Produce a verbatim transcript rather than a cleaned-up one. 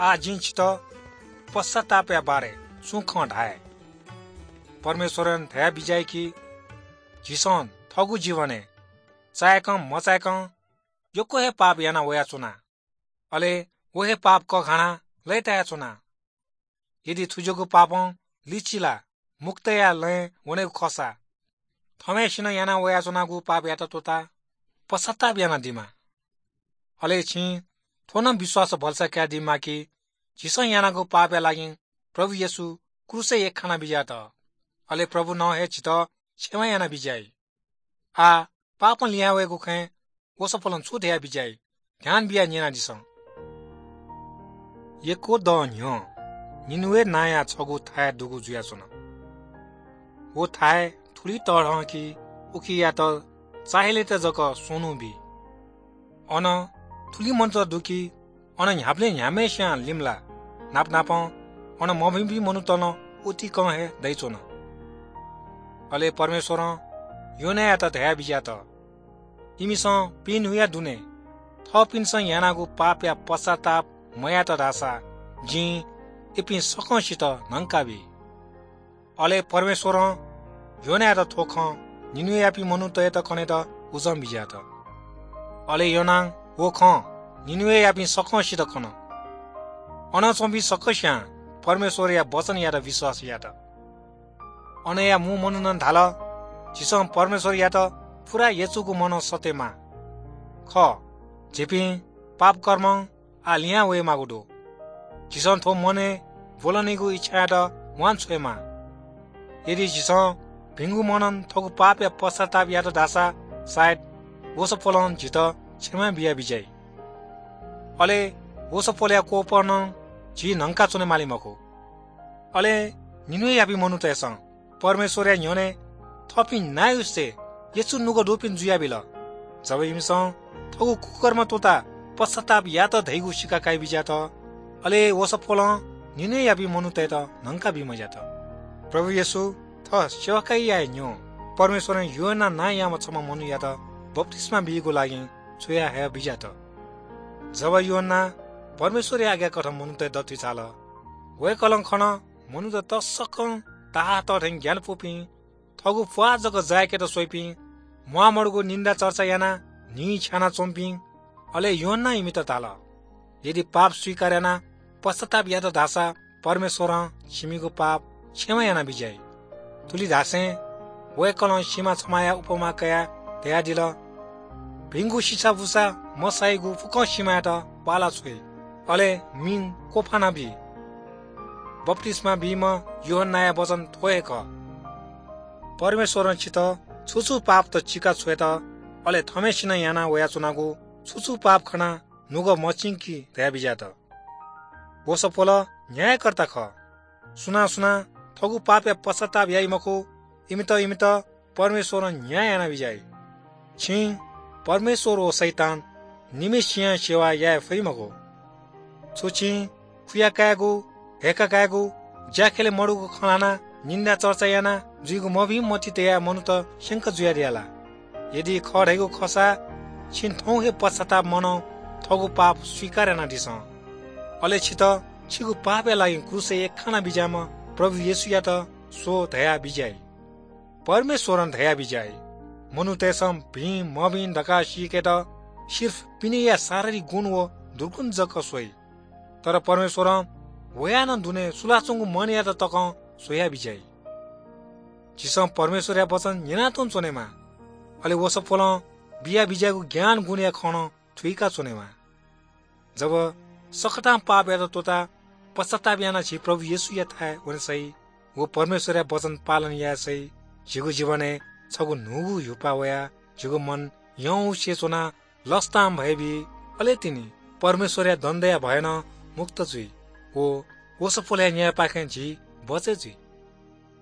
आः जिं छितः पश्चातापया बारे छुं खँ धाये। परमेश्वरं धयाबिज्याइ कि झीसं थःगु जीवनय् चाय्‌कं मचाय्‌कं यक्व हे पाप याना वयाच्वना, अले व हे पाप कघाना लय्‌तायाच्वना। यदि थुज्याःगु पापं लिचिला मुक्तया लँय् वनेगु खःसा, थम्हय्‌सिनं याना वयाच्वनागु पापयात त्वःताः पश्चाताप यानादिमा। अले छिं थ्व नं विश्वास भलसा कयादीमा कि झीसं यानागु पापया लागि प्रभु येशू क्रूसय् यख्खाना बिज्यात, अले प्रभुं हे झीत क्षमा यानाबिज्याइ। आः पापं लिहां वयेगु खँय् वसपोलं छु धयाबिज्याइ, ध्यान बियाः न्यनादिसँ। यक्व दँ न्ह्यः निनवे नांया छगू थाय् दुगु जुयाच्वन। व थाय् थुलि तःधं कि उकियात चाःहिलेत जक स्वन्हु बी। अन थुलि मनूत दु कि अन न्ह्याबलें न्ह्याम्हय्‌सियां लिमलाः। नापनापं अन मभिंपिं मनूत नं उतिकं हे दइच्वन। अले परमेश्वरं योनायात धयाबिज्यात, इमिसं पिइन्हुया दुने थःपिन्सं यानागु पापया पश्चाताप मयात धाःसा जिं इपिं सकसित न्हंकाबी। अले परमेश्वरं योनायात थ्व खँ निनवेयापिं मनूतय्‌त कनेत उजं बिज्यात। अले योनां व खँ निनवेयापिं सकसित कन। अन च्वंपिं सकस्यां परमेश्वरया वचनयात विश्वास यात। अनया मू मनुखं धाल, झीसं परमेश्वरयात पूरा यचुगु मनं सःतेमाः। खः, झीपिं पापकर्मं आः लिहां वयेमाःगु दु। झीसं थ्व मनय् ब्वलनीगु इच्छायात म्वान छ्वयेमाः। यदि झीसं भिंगु मनं थःगु पापया पश्चाताप यात धाःसा सायद वसपोलं झीत क्षमा बियाबिज्याइ। अले वसपोलया कोपं नं झी न्हंकाच्वने माली मखु। अले निनवेयापिं मनूतय्‌सं परमेश्वरया न्ह्यःने थःपिं नायुसे यचु नुगः दुपिं जुयाबिल। जब इमिसं थःगु कुकर्म त्वःताः पश्चाताप यात धइगु सिका काइबिज्यात, अले वसपोलं निनवेयापिं मनूतय्‌त न्हंका बीमज्यात। प्रभु येशू थः सेवकाईया न्ह्यः परमेश्वरं यूहन्ना नांयाम्ह छम्ह मनूयात बप्तिस्मा बीगु लागि छ्वया हयाबिज्यात। जब यूहन्ना परमेश्वरया आज्ञाकथं मनूतय् दथुइ झाल, वय्‌कलं खन, मनूत तसकं ताहाः तः थें ग्यानापुपिं, थःगु प्वाः जक जाय्‌केत स्वइपिं, म्वाःमदुगु निन्दा चर्चा यानाः न्हिं छ्यानाच्वंपिं। अले यूहन्नां इमित धाल, यदि पाप स्वीकार यानाः पश्चाताप यात धाःसा परमेश्वरं छिमिगु पाप क्षमा यानाबिज्याइ। थुलि धासें वय्‌कलं सिमा छम्हया उपमा कयाः धयादिल, भिंगु सिसाबुसा मसाइगु फुक्कं सिमायात पाला छ्वइ, अले मिं क्वफाना बी। बप्तिस्मा बीम्ह यूहन्नाया वचन थ्व हे खः, परमेश्वरं छितः छु छु पापत चिका छ्वयेत, अले थम्हय्‌सिनं याना वयाच्वनागु छु छु पाप खनाः नुगः मचिंकि धयाबिज्यात। वसपोल न्यायकर्ता खः। सुनां सुनां थःगु पापया पश्चाताप याइ मखु, इमित, इमित परमेश्वरं न्याय यानाबिज्याइ। छिं परमेश्वर व शैतान निम्हय्‌सियां सेवा याये फइ मखु। छु छिं खुया कायेगु, हय्‌का कायेगु, ज्याखँय् मदुगु खँ ल्हानाः निन्दा चर्चा यानाः जुइगु मभिं मति तयाः मनूत स्यंका जुयादिया ला? यदि खः धइगु खःसा छिं थौं हे पश्चाताप मनं थःगु पाप स्वीकार यानादिसँ। अले छितः छिगु पापया लागि क्रूसय् यख्खाना बिज्याःम्ह प्रभु येशूयात स्व धयाः बिज्याइ। परमेश्वरं धयाः बिज्याइ, मनूतय्‌सं भिं मभिं धकाः सीकेत सिर्फ पिनेया शारीरिक गुण व दुर्गुण जक स्वइ। तर परमेश्वरं वयाः नं दुने सुलाच्वंगु मनयात तकं स्वयाः बिज्याइ। झीसं परमेश्वरया वचन न्यनातुं च्वनेमाः, अले वसपोलं बिया बिज्याःगु ज्ञान गुणया खँ नं थुइका च्वनेमाः। जब सकतां पापयात त्वःताः पश्चाताप यानाः झी प्रभु येशूयाथाय् वने सइ व परमेश्वरया वचन पालन याये सइ, झीगु जीवनय् छगू न्हूगु ह्युपा वयाः झीगु मन यंगु से च्वनाः लसतां भय बी, अले तिनि परमेश्वरया दण्डया भयं नं मुक्त जुइ। व वसपोलया न्यायपाखें झी बचय् जुइ।